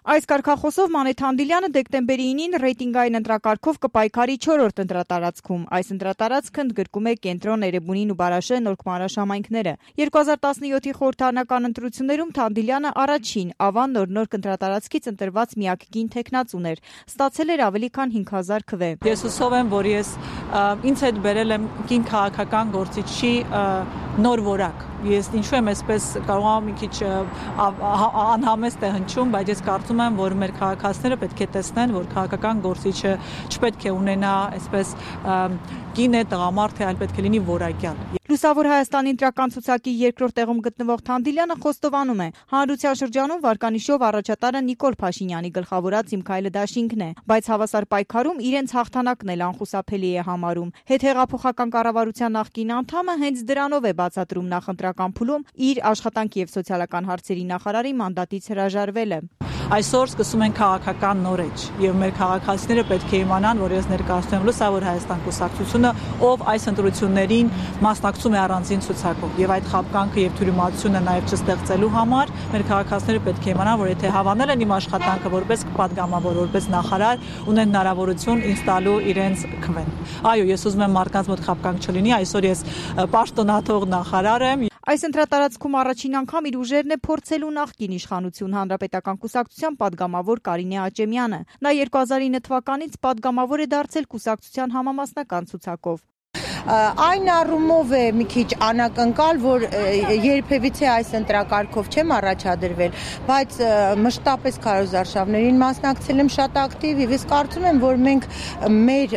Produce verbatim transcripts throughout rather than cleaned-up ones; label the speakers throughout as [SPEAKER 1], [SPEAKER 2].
[SPEAKER 1] Այս կարգախոսով Մանեթ Հանդիլյանը դեկտեմբերի ինին ռեյտինգային ընտրակարգով կպայքարի չորրորդ ընտրատարածքում։ Այս ընտրատարածքը ընդգրկում է Կենտրոն, Էրեբունին ու Բարաշե նորկմանաշ համայնքները։ երկու հազար տասնյոթի խորհրդարանական ընտրություններում Հանդիլյանը առաջին Ավան նոր-նորք ընտրատարածքից ընտրված միակ կին թեկնածուն էր։ Ստացել էր ավելի քան հինգ հազար քվե։
[SPEAKER 2] Ես հուսով եմ, որ ես ինձ հետ բերել եմ կին քաղաքական գործիչի նոր որակ։ Ես ինչու եմ այսպես կարող եմ մի քիչ անհամեստ է հնչում, բայց ես կարծում եմ, որ մեր քաղաքացիները պետք է տեսնեն, որ քաղաքական գործիչը չպետք է ունենա այսպես կին է, տղամարդ է, այլ պետք է լինի որակյալ։
[SPEAKER 1] Լուսավոր Հայաստանի ընտրական ցուցակի երկրորդ տեղում գտնվող Հանդիլյանը խոստովանում է, հանրության շրջանում վարկանիշով առաջատարը Նիկոլ Փաշինյանի գլխավորած Իմ քայլը դաշինքն է, բայց հավասար պայքարում իրենց հաղթանակն էլ անխուսափելի է համարում։ Հետհեղափոխական կառավարության նախկին անդամը հենց դրանով է բացատրում նախընտրական փուլում իր աշխատանքի եւ սոցիալական հարցերի նախարարի մանդատից հրաժարվելը։
[SPEAKER 2] Այսօր սկսում են քաղաքական նոր էջ եւ մեր քաղաքացիները պետք է իմանան, որ ես ներկայացնում եմ Լուսավոր Հայաստան կուսակցությունը, ով այս ընտրություններին մասնակցում է առանձին ցուցակով եւ այդ խաբկանքը եւ թյուրիմացությունը նաեւ չստեղծելու համար մեր քաղաքացիները պետք է իմանան, որ եթե հավանել են իմ աշխատանքը որպես պատգամավոր, որպես նախարար, ունեն հնարավորություն ինձ տալու իրենց քվեն։ Այո, ես ուզում եմ մարդկանց մոտ խաբկանք չլինի, այսօր ես պաշտոնաթող նախարար եմ։
[SPEAKER 1] Այս ընտրատարածքում առաջին անգամ իր ուժերն է փորձելու նախկին իշխանություն Հանրապետական կուսակցության падգամավոր Կարինե Աճեմյանը։ Նա երկու հազար ինը թվականից падգամավոր է դարձել կուսակցության համամասնական ցուցակով։
[SPEAKER 3] Այն առումով է մի քիչ անակնկալ, որ երբևիցե այս ընտրակարգով չեմ առաջադրվել, բայց մշտապես քարոզարշավներին մասնակցել եմ շատ ակտիվ եւ ես կարծում եմ, որ մենք մեր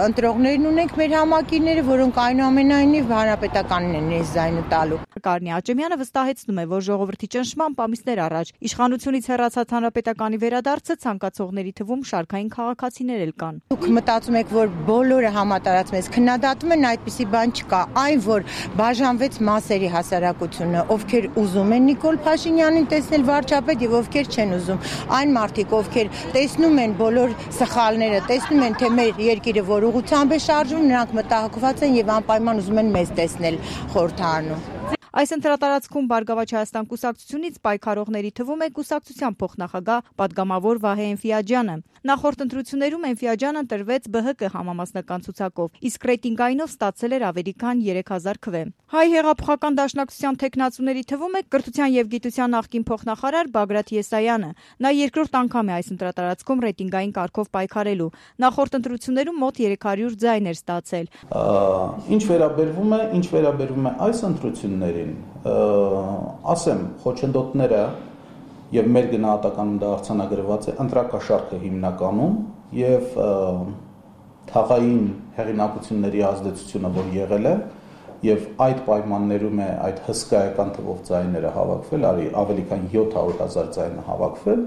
[SPEAKER 3] ընտրողներն ունենք, մեր համակիրները, որոնք այնուամենայնիվ հանրապետականին են ես զայնը տալու։
[SPEAKER 1] Կարինե Աճեմյանը վստահեցնում է, որ ժողովրդի ճնշմամբ ամիսներ առաջ իշխանությունից հեռացած հանրապետականի վերադարձը ցանկացողների թվում շարքային քաղաքացիներ էլ կան։
[SPEAKER 3] Դուք մտածում եք, որ բոլորը համատարած մեզ քննադատում են, այդպիսի բան չկա, այն որ բաժանվեց մասերի հասարակությունը, ովքեր ուզում են Նիկոլ Փաշինյանին տեսնել վարչապետ եւ ովքեր չեն ուզում, այն մարդիկ, ովքեր տեսնում են բոլոր սխալները, տեսնում են, թե մեր երկիրը որ ուղղությամբ է շարժվում, նրանք մտահոգված են եւ անպայման ուզում են մեզ տեսնել խորհրդարանում։
[SPEAKER 1] Այս ընտրատարածքում Բարգավաճ Հայաստան կուսակցությունից պայքարողների թվում է կուսակցության փոխնախագահ падգամավոր Վահե Էնֆիաջյանը։ Նախորդ ընտրություններում Էնֆիաջյանը ընտրվեց Բ Հ Կ համամասնական ցուցակով, իսկ ռեյտինգայինով ստացել էր ավելի քան երեք հազար քվե։ Հայ հեղափոխական դաշնակցության թեկնածուների թվում է կրթության եւ գիտության նախկին փոխնախարար Բագրատ Եսայանը։ Նա երկրորդ անգամ է այս ընտրատարածքում ռեյտինգային կարգով պայքարելու։ Նախորդ ընտրություններում մոտ երեք հարյուր ձայն էր ստացել։
[SPEAKER 4] Ինչ վերաբերվում է, ինչ վերաբերվում է այս ընտրություններին, ասեմ, խոչընդոտները եւ մեր գնահատականում դա արձանագրված է ընտրակաշառքը հիմնականում եւ թաղային հեղինակությունների ազդեցությունը, որ եղել է եւ այդ պայմաններում է այդ հսկայական թվով ձայները հավաքվել, արի ավելի քան յոթ հարյուր հազար ձայնը հավաքվել,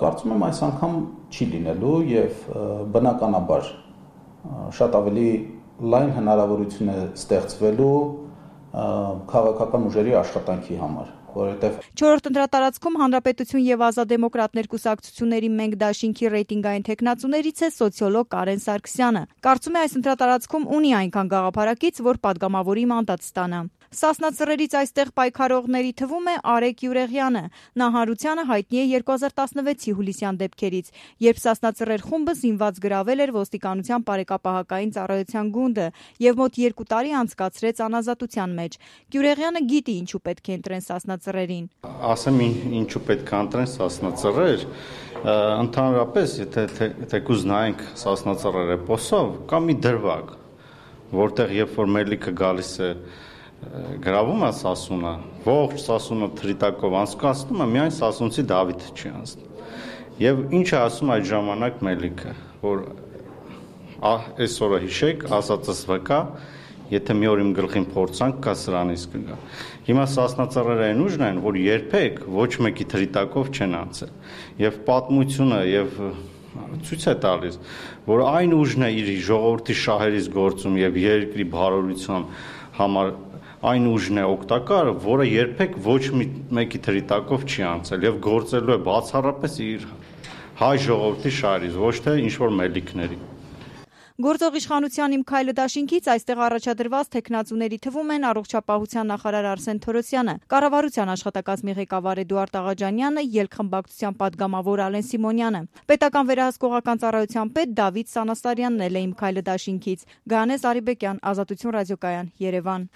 [SPEAKER 4] կարծում եմ այս անգամ չի լինելու եւ բնականաբար շատ ավելի լայն հնարավորություն է ստեղծվելու քաղաքական ուժերի աշխատանքի համար, որովհետև
[SPEAKER 1] չորրորդ ընտրատարածքում Հանրապետություն եւ Ազատ դեմոկրատներ կուսակցությունների Մենք դաշինքի ռեյտինգային թեկնածուներից է սոցիոլոգ Կարեն Սարգսյանը։ Կարծում է այս ընտրատարածքում ունի այնքան գաղափարակից, որ падգամավորի մանդատ ստանա։ Սասնա Ծռերից այստեղ պայքարողների թվում է Արեգ Յուրեղյանը։ Նա հանրությանը հայտնի է երկու հազար տասնվեցի հուլիսյան դեպքերից, երբ Սասնա Ծռեր խումբը զինված գրավել էր ոստիկանության բարեկապահական ծառայության գունդը եւ մոտ երկու տարի անցկացրեց անազատության մեջ։ Յուրեղյանը գիտի ինչու պետք է ընտրեն Սասնա Ծռերին։
[SPEAKER 5] Ասեմ ինչու պետք է ընտրեն Սասնա Ծռեր, ընդհանրապես եթե թեկուզ նայենք Սասնա Ծռեր էպոսով, կա մի դրվագ, որտեղ երբ որ մելիքը գալիս է գրավում է Սասունը, ողջ Սասունը թրիտակով անցկացնում է, միայն Սասունցի Դավիթը չի անցնում։ Եվ ինչ է ասում այդ ժամանակ մելիքը, որ այսօրը հիշեք, ասածս վկա, եթե մի օր իմ գլխին փորձանք կա սրանից կգա։ Հիմա Սասնա Ծռերը այն ուժն են, որ երբեք ոչ մեկի թրիտակով չեն անցել։ Եվ պատմությունը եւ ցույց է տալիս, որ այն ուժն է իր ժողովրդի շահերից գործում եւ երկրի բարօրության համար այն ուժն է օգտակար, որը երբեք ոչ մեկի թրիտակով չի անցել եւ գործելու է բացառապես իր հայ ժողովրդի շահերից, ոչ թե ինչ որ մելիքների։
[SPEAKER 1] Գործող իշխանության Իմ քայլը դաշինքից այստեղ առաջադրված թեկնածուների թվում են առողջապահության նախարար Արսեն Թորոսյանը, կառավարության աշխատակազմի ղեկավար Էդուարդ Աղաջանյանը, ելքխմբակցության պատգամավոր Ալեն Սիմոնյանը, պետական վերահսկողական ծառայության պետ Դավիթ Սանասարյանն էլ է Իմ քայլը դաշինքից։ Գայանե Զարիբեկյան, Ազատություն ռադիոկայան, Երևան։